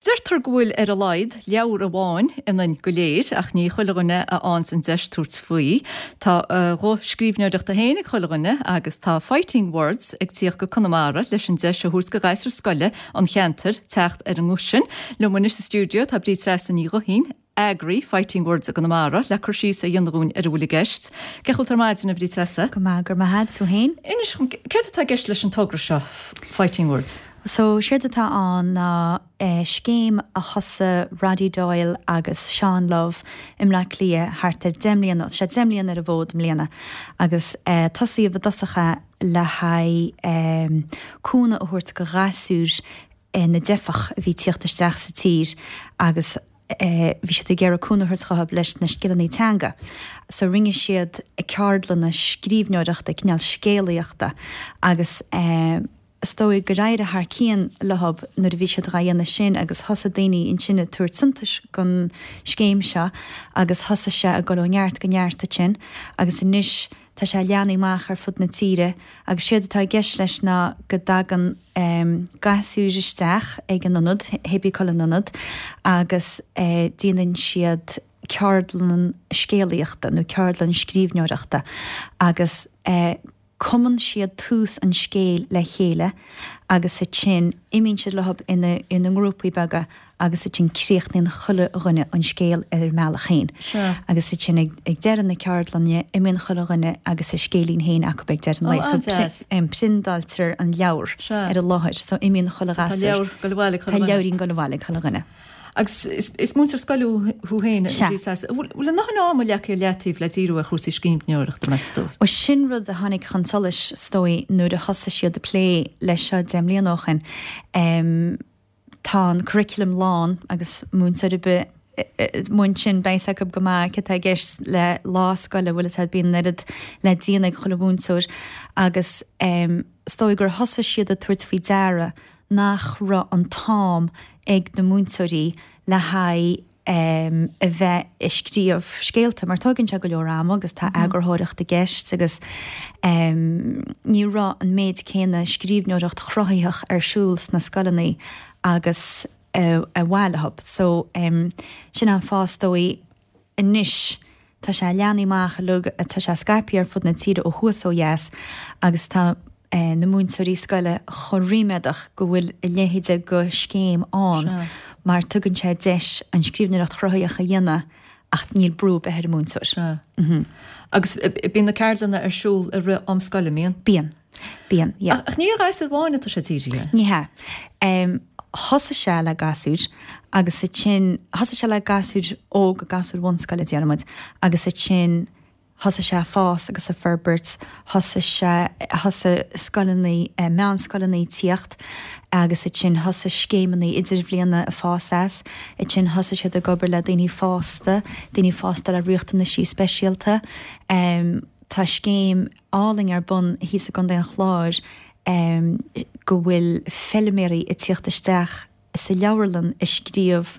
Deirtear go bhfuil ar a laghad leabhar amháin ionainn go léir, ach ní chuile dhuine a fhaigheanns an deis tabhairt faoi. Tá a ghuth scríbhneoireachta féin ag chuile dhuine agus tá Fighting Words ag tíocht go Conamara leis an deis a thabhairt go ghasúir scoile an cheantair teacht ar an nguth sin. Liom anois sa stiúideo tá Bríd Treasa Ní Ghuithín, eagraí Fighting Words i gConamara, le cur síos a dhéanamh dhúinn ar a bhfuil i gceist. Cén chaoi a bhfuil tú ar maidin, a Bhríd Treasa? Go maith, go raibh maith agat, tú féin? Inis dhom, céard atá i gceist leis an togra seo, Fighting Words? So, séard atá ann ná scéim a thosaigh Roddy Doyle agus Seán Love i mBleá Cliath thart ar 10 mbliana, tá sé 10 mbliana ar an bhfód i mbliana, agus tosaíodh i dtosach é le haghaidh cúnamh a thabhairt go ghasúir na dteifeach a bhí ag tíocht isteach sa tír agus bhí siad ag iarraidh cúnamh a thabhairt dhóibh leis na scileanna teanga. So rinne siad ceardlanna scríbhneoireachta, cineál scéalaíochta agus is dóigh gur éirigh thar cionn leob nuair a bhí siad dhá dhéanamh sin agus thosaigh daoine ansin ag tabhairt suntais don scéim seo agus thosaigh sé ag dul ó neart go neart ansin agus anois Tá sé leathnaithe amach ar fud na tíre agus séard atá i gceist leis ná go dtagann gasúir isteach ag an ionad, cibé acu an ionad, agus déanann siad ceardlann scéalaíochta nó ceardlann scríbhneoireachta agus cumann siad tús an scéil le chéile agus ansin imíonn siad leob ina ngrúpaí beaga agus ansin críochnaíonn chuile dhuine an scéal ar a mbealach féin. Agus ansin ag deireadh na ceardlainne imíonn chuile dhuine agus a scéilín féin acu ag deireadh an lae. So priondáiltear an leabhar ar an láthair. So imíonn chuile ghasúr. Tá leabhar ag dul abhaile ag chuile dhuine. Tá leabhairín ag dul abhaile ag chuile dhuine. Agus is múinteoir scoile thú féin, a Bhríd. Bhfuil a ndóthain ama leagtha ar leataobh le díriú ar chúrsaí scríbhneoireachta, meas tú? Bhuel, sin rud a tháinig chun solais, is dóigh, nuair a thosaigh siad ag plé leis seo 10 mbliana ó shin. Tá an curriculum lán agus múinteoir ar bith a mhúin sin beidh a fhios acu go maith céard atá i gceist le lá scoile bhfuil a fhios agat bíonn an oiread le déanamh ag chuile mhúinteoir agus is dóigh gur thosaigh siad ag tabhairt faoi deara nach raibh an t-am ag na múinteoirí le haghaidh a bheith ag scríobh scéalta mar tógann sé go leor ama agus tá eagarthóireacht i gceist agus ní raibh an méid céanna scríbhneoireacht chruthaitheach ar siúl sna scoileanna agus a mhaith leo. So sin an fáth is dóigh anois tá sé leathnaithe amach uilig, tá sé scaipthe ar fud na tíre ó thuaidh is ó dheas agus tá na múinteoirí scoile chomh ríméadach go bhfuil a leithéide de scéim ann mar tugann sé deis an scríbhneoireacht chruthaitheach a dhéanamh ach níl brú ar bith ar an múinteoir. Sea. Agus bíonn na ceardlanna ar siúl i rith am scoile, an mbíonn? Bíonn. Bíonn, yeah. Ach ní ar ghasúir amháin atá sé dírithe? Ní hea. Thosaigh sé le gasúir agus ansin, thosaigh sé le gasúir óga, gasúir bhunscoile déarfaidh muid, agus ansin Thosaigh sé ag fás agus ag forbairt, thosaigh sé, thosaigh scoileanna, meánscoileanna ag tíocht agus ansin thosaigh scéimeanna idirbhliana ag fás as, ansin thosaigh siad ag obair le daoine fásta, daoine fásta le riachtanaisí speisialta. Tá scéim álainn ar bun thíos i gContae an Chláir go bhfuil feilméaraí ag tíocht isteach sa leabharlann ag scríobh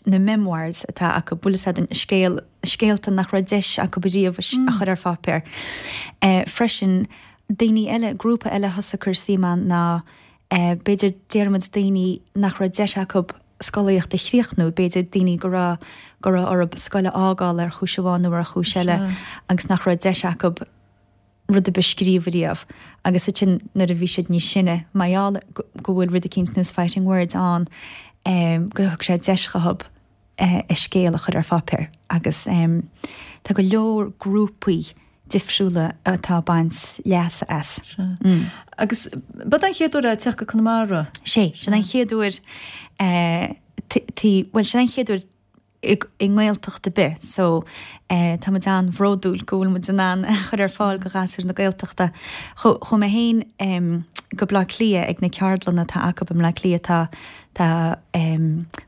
na memoirs atá acu, bhfuil fhios agat an scéal, scéalta nach raibh deis acu riamh a chur ar pháipéar. Freisin, daoine eile, grúpa eile a thosaigh ag cur suim ann ná b'fhéidir déarfaidh muid daoine nach raibh deis acu scolaíocht a chríochnú, b'fhéidir daoine go raibh, go raibh orthu scoil a fhágáil ar chúis amháin nó ar chúis eile agus nach raibh deis acu rud ar bith a scríobh riamh agus ansin nuair a bhí siad níos sine, mar gheall go bhfuil rud eicínt ar nós Fighting Words ann, go thug sé deis dhóibh a scéal a chur ar pháipéar agus tá go leor grúpaí difriúla atá ag baint leasa as. Sea. Agus b'é an chéad uair é teacht go Conamara? Sé, sin an chéad uair, bhuel sin an chéad uair i nGaeltacht ar bith so tá muid an-bhródúil go bhfuil muid in ann a chur ar fáil go ghasúir na Gaeltachta. Chuaigh mé féin go Bleá Cliath ag na ceardlanna atá acu i mBleá Cliath tá tá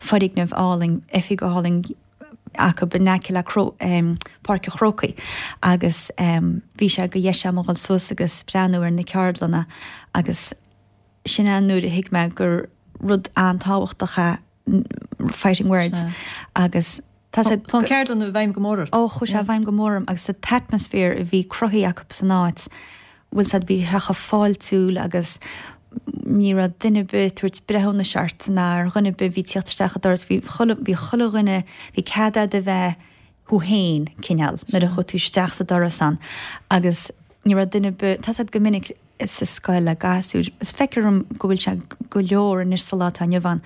foirgneamh álainn, oifig álainn acu in aice le Páirc an Chrócaigh agus bhí sé de dheis agam a dhul suas agus breathnú ar na ceardlanna agus sin é nuair a thuig mé gur rud an-tábhachtach é Fighting Words agus tá sé. Tá an ceardlann i bhfeidhm go mór ort. Ó chuaigh sé i bhfeidhm go mór orm agus an t-atmaisféar a bhí cruthaithe acu san áit, bhfuil fhios agat, bhí sé chomh fáiltiúil agus. Ní raibh duine ar bith ag tabhairt breithiúnais ort ná ar dhuine ar bith a bhí ag tíocht isteach an doras. Bhí chuile, bhí chuile dhuine, bhí cead a'd a bheith thú fhéin, cineál, nuair a chuaigh tú isteach sa doras ann. Agus ní raibh duine ar bith, tá's a'd go minic sa scoil le gasúir, is feictear dhom go bhfuil sé go leor anois sa lá atá inniu ann,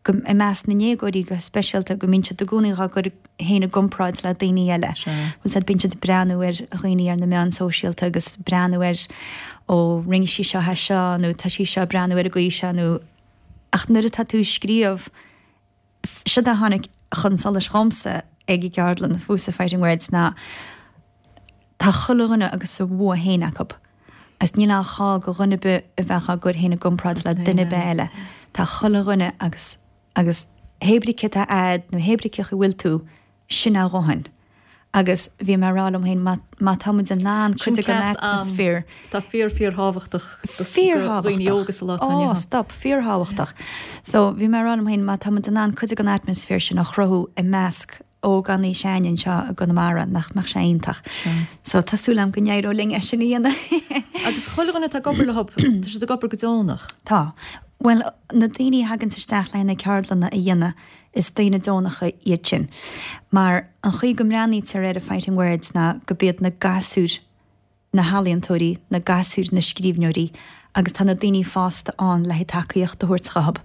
go, i measc na ndéagóirí go speisialta, go mbíonn siad i gcónaí dhá gcur féin i gcomparáid le daoine eile. Bhfuil 's a'd, bíonn siad ag breathnú ar dhaoine ar na meáin sóisialta agus breathnú ar ó rinne sí seo é seo nó tá sí seo ag breathnú ar an gcaoi seo nó ach nuair atá tú ag scríobh, Seod a tháinig chun solais dhomsa ag an gceardlann fúsa Fighting Words ná tá chuile dhuine agus a bhua féin acu agus níl aon chall go dhuine ar bith a bheith á gcur féin i gcomparáid le duine ar bith eile. Tá chuile dhuine agus agus hébrí cé tá a'd nó hébrí cé chaoi bhfuil tú, sin a dhóthain. Agus bhí mé ag rá liom féin, má, má tá muid in ann cuid de den atmaisféar. Tá fíor, fíorthábhachtach do dhaoine óga sa lá atá inniu ann. Ó, stop, fíorthábhachtach. So, bhí mé ag rá liom féin, má tá muid in ann cuid de den atmaisféar sin a chruthú i measc ógánaigh s'againne anseo i gConamara, nach mbeadh sé iontach. So, tá súil agam go n-éireoidh linn é sin a dhéanamh. Agus chuile dhuine atá ag obair leo, tá siad ag obair go deonach? Tá. Bhuel, na daoine a thaganns isteach le na ceardlanna a dhéanamh, Is daoine deonacha iad sin. Mar an chaoi go mbreathnaítear ar an Fighting Words ná go b'iad na gasúir na healaíontóirí, na gasúir na scríbhneoirí agus tá na daoine fásta ann le haghaidh tacaíocht a thabhairt dhóibh.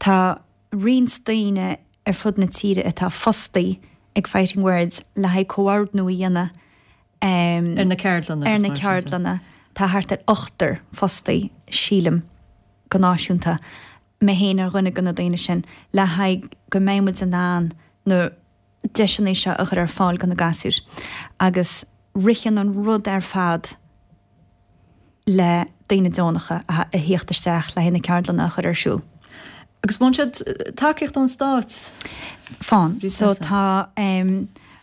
Tá roinnt daoine ar fud na tíre atá fostaí ag Fighting Words le haghaidh comhordnú a dhéanamh ar na ceardlanna. Ar na ceardlanna. Tá thart ar ochtar fostaí, sílim, go náisiúnta. mé féin ar dhuine de na daoine sin, le haghaidh go mbeidh muid in ann na deiseanna seo a chur ar fáil do na gasúir. Agus ritheann an rud ar fad le daoine deonacha a thíocht isteach le haghaidh na ceardlanna a chur ar siúl. Agus faigheann siad tacaíocht ón Stát? Faigheann. So tá,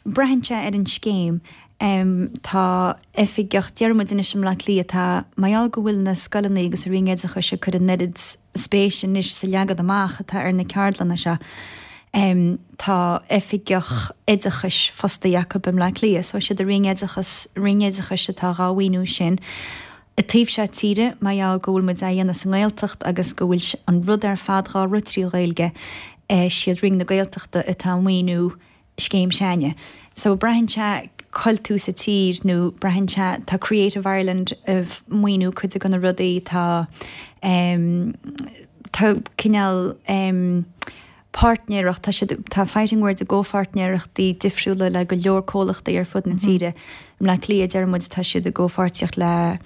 braitheann sé ar an scéim. Tá oifigeach, déarfaidh muid anois i mBleá Cliath, tá, mar gheall go bhfuil na scoileanna agus an Roinn Oideachais ag cur an oiread spéise anois sa leagan amach atá ar na ceardlanna seo, tá oifigeach oideachais fostaithe acu i mBleá Cliath. So siad an Roinn Oideachas, Roinn Oideachais atá dhá mhaoiniú sin. An taobh seo tíre, mar gheall go bhfuil muid á dhéanamh sa nGaeltacht agus go bhfuil an rud ar fad dhá rith trí Ghaeilge, siad Roinn na Gaeltachta atá ag maoiniú scéim s'againne. So braitheann sé cá bhfuil tú sa tír nó braitheann sé, tá Creative Ireland ag maoiniú cuid de na rudaí, tá em tá cineál em páirtnéireacht, tá siad, tá Fighting Words i gcomhpháirtnéireachtaí difriúla le go leor comhlachtaí ar fud na tíre. I mBleá Cliath deir muid tá siad i gcomhpháirtíocht le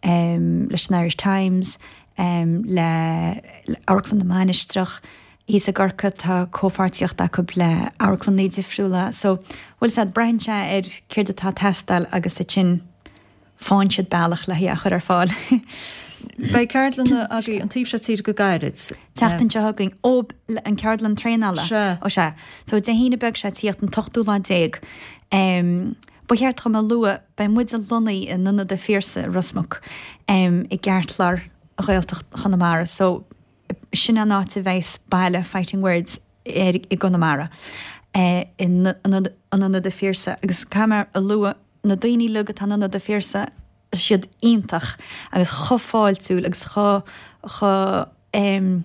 em leis an Irish Times, em le Amharclann na Mainistreach, Thíos i gCorcaigh tá comhpháirtíocht acu le amharclannaí difriúla so bhfuil 's a'd, braitheann sé ar céard atá ag teastáil agus ansin faigheann siad bealach le hé a chur ar fáil. Beidh ceardlanna agaibh an taobh seo tíre go gairid. Tseachtain seo chugainn, ó an ceardlann traenála? Sea. Ó sea. So Dé hAoine beag seo ag tíocht an t-ochtú lá déag. Ba cheart dhom a lua, beidh muid lonnaithe in Ionad a' Phiarsaigh i Ros Muc i gceartlár Ghaeltacht Chonamara so Sin an áit a bheas baile Fighting Words i gConamara, in Ionad a' Phiarsaigh. Agus caithfidh mé a lua, na daoine uilig atá in Ionad a' Phiarsaigh, tá siad iontach agus chomh fáiltiúil agus chomh, chomh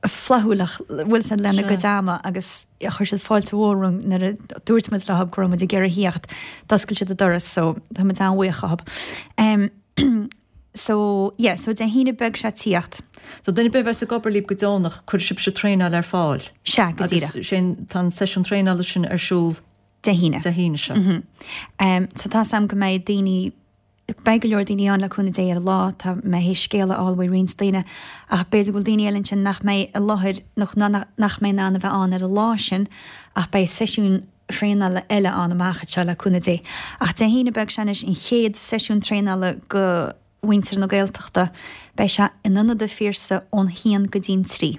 flaithiúil, bhfuil 's a'd, lena gcuid ama agus chuir siad fáilte mhór romhainn nuair a dúirt muid leo go raibh muid ag iarraidh a thíocht, d'oscail siad an doras so tá muid an-bhuíoch dhóibh. So, yeah, so Dé hAoine beag seo ag tíocht. So duine ar bith a bheas ag obair libh go deonach, cuirfidh sibhse traenáil ar fáil? Sea, go díreach. Agus sin, tá an seisiún traenála sin ar siúl Dé hAoine. Dé hAoine seo. Mhm. Um, so tá's a'm go mbeidh daoine, beidh go leor daoine ann le cúnamh Dé ar an lá, tá mé théis scéala a fháil uaidh roinnt daoine, ach b'fhéidir go bhfuil daoine eile ansin nach mbeidh i láthair, nó nach mbeidh in ann a bheith ann ar an lá sin, ach beidh seisiún traenála eile ann amach anseo le cúnamh Dé. Ach Dé hAoine beag seo anois an chéad seisiún traenála go mhuintir na Gaeltachta. Beidh sé in Ionad a' Phiarsaigh ón haon go dtí'n trí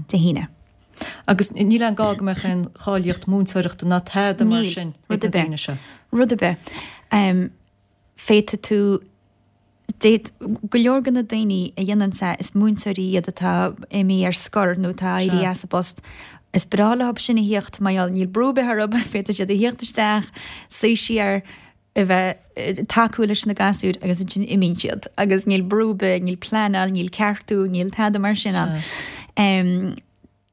Dé hAoine. Agus níl aon gá go mbeadh aon cháilíocht múinteoireachta ná tada mar sin ag na daoine seo? Níl, rud ar bith. Féadfaidh tú D'fhéadfadh go leor de na daoine a dhéanann é, is múinteoirí iad atá imithe ar scor nó atá éirithe as a bpost. Is breá leo sin a thíocht mar gheall níl brú ar bith orthu, féadfaidh siad a thíocht isteach, suí siar. a bheith ag tacú leis na gasúir agus ansin imíonn siad agus níl brú ar bith, níl pleanáil, níl ceartú, níl tada mar sin ann.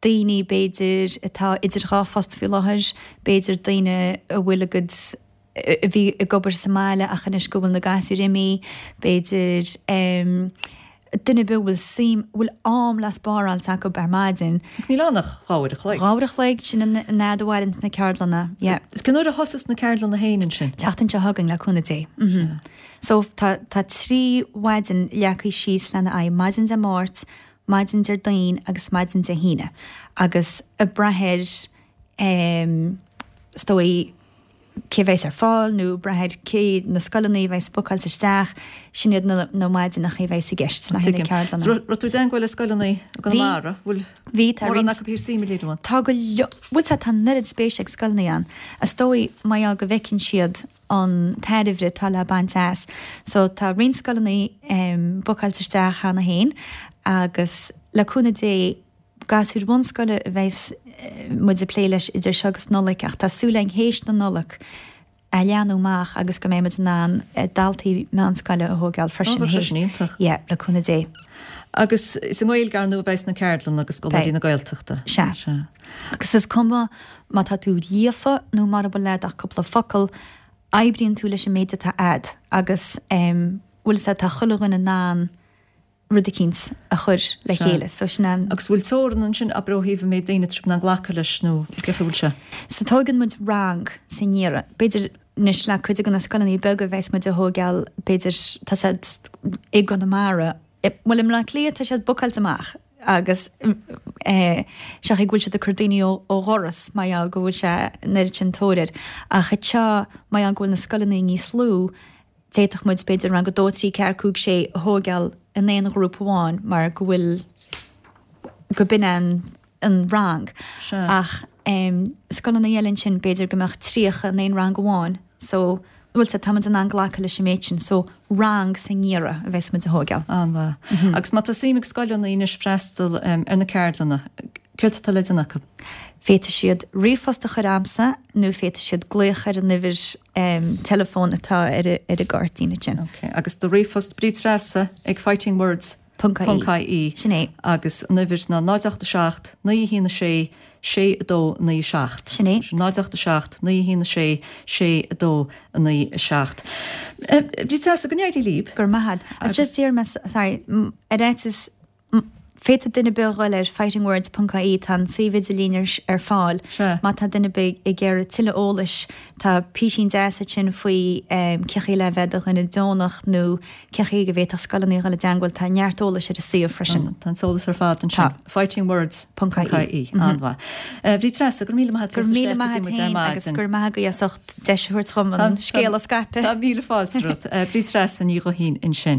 Daoine, b'fhéidir, atá idir dhá phost faoi láthair, b'fhéidir daoine a bhfuil a gcuid, a bhí ag obair sa mbaile ach anois go bhfuil na gasúir imithe, b'fhéidir, duine ar bith a bhfuil suim, a bhfuil am le spáráilt acu ar maidin. Agus níl ann ach dhá uair a chloig. Dhá uair a chloig, sin an fhad a mhaireanns na ceardlanna, yeah. Is cén uair a thosas na ceardlanna féin ansin? Tseachtain seo chugainn, le cúnamh Dé. Mhm. So tá, tá 3 mhaidin leagtha síos lena aghaidh, maidin Dé Máirt, maidin Déardaoin agus maidin Dé hAoine. Agus ag brath ar, em, is dóigh, cé a bheas ar fáil nó ag brath ar cé na scoileanna a bheas bookáilte isteach, sin iad na na maidineacha a bheas i gceist le haghaidh na ceardlanna. Tuigim. Raibh tú i dteangmháil le scoileanna i gConamara? Bhfuil Bhí, tá mórán acu ag suim a léiriú ann? Tá go leor, bhuel tá an oiread spéise ag scoileanna ann. Is dóigh mar gheall go bhfeiceann siad an tairbhe atá le baint as. So tá roinnt scoileanna bookáilte isteach cheana féin agus le cúnamh Dé, Gasúir bhunscoile a bheas muid ag plé leis idir seo agus Nollaig ach tá súil againn théis na Nollag a leathnú amach agus go mbeidh muid in ann daltaí meánscoile a thógáil freisin. Ó, bheadh sé sin iontach. Yeah, le cúnamh Dé. Agus is i nGaeilge, ar ndóigh, a bheas na ceardlanna agus scoláirí na Gaeltachta. Sea. Sea. Agus is cuma má tá tú líofa nó mara bhfuil a'd ach cúpla focal, oibríonn tú leis an méid atá a'd agus bhfuil 'fhios a'd, tá chuile dhuine in ann rud eicínt a chur le chéile. So sin an. Agus bhfuil teorann ansin, abair ó thaobh an méid daoine atá sibh in ann glacadh leis nó cén chaoi a bhfuil sé? So tóigeann muid rang sa ngeimhreadh. B'fhéidir anois le cuid de na scoileanna beaga a bheas muid a thóigeáil, b'fhéidir tá siad i gConamara, bhuel i mBleá Cliath tá siad bookáilte amach agus eh seachas go bhfuil siad ag cur daoine ó ó dhoras mar gheall go bhfuil sé an oiread sin tóir air. Ach anseo mar gheall go bhfuil na scoileanna níos lú, D'fhéadfadh muid, b'fhéidir, rang a dó, trí, ceathair, cúig, sé a thóigeáil in aon ghrúpa amháin mar go bhfuil, go b'in an an rang. Sea. Ach em scoileanna eile ansin, b'fhéidir go mbeadh 30 in aon rang amháin so, bhfuil 's a'd, tá muid in ann glacadh leis an méid sin so rang sa ngeimhreadh a bheas muid a thóigeáil. An-mhaith. Agus má tá suim ag scoileanna anois freastal em ar na ceardlanna, Céard atá le déanamh acu? Féadfaidh siad ríomhphost a chur a'msa nó féadfaidh siad glaoch ar an uimhir teileafóin atá ar an gcáirtín ansin. Ok, agus do ríomhphost Bríd Treasa ag fightingwords ponc ie. Sin é. Agus an uimhir ná 0 8 7 9 1 6 6 2 9 7. Sin é. 0 8 7 9 1 6 6 2 9 7. Bríd Treasa, go n-éirí libh. Go raibh maith a'd. Agus just déarfaidh mé, sorry, ar fhaitíos Féadfaidh duine ar bith a dhul ar fightingwords ponc ie, tá an suíomh idirlín ar fáil. Sea. Má tá duine ar bith ag iarraidh tuilleadh eolais, tá písín deas ansin faoi cén chaoi le bheith i do dhuine deonach nó cén chaoi go bhféadfadh scoileanna a dhul i dteangmháil, tá neart eolais ar an suíomh freisin. Tá an t-eolas ar fad ansin. Tá. Fightingwords ponc ie. An-mhaith. Bríd Treasa, go raibh míle maith agat. Go raibh míle maith agat féin agus go raibh maith agaibh as ucht deis a thabhairt dhom an scéal a scaipeadh. Tá míle fáilte romhat. Bríd Treasa Ní Ghuithín ansin.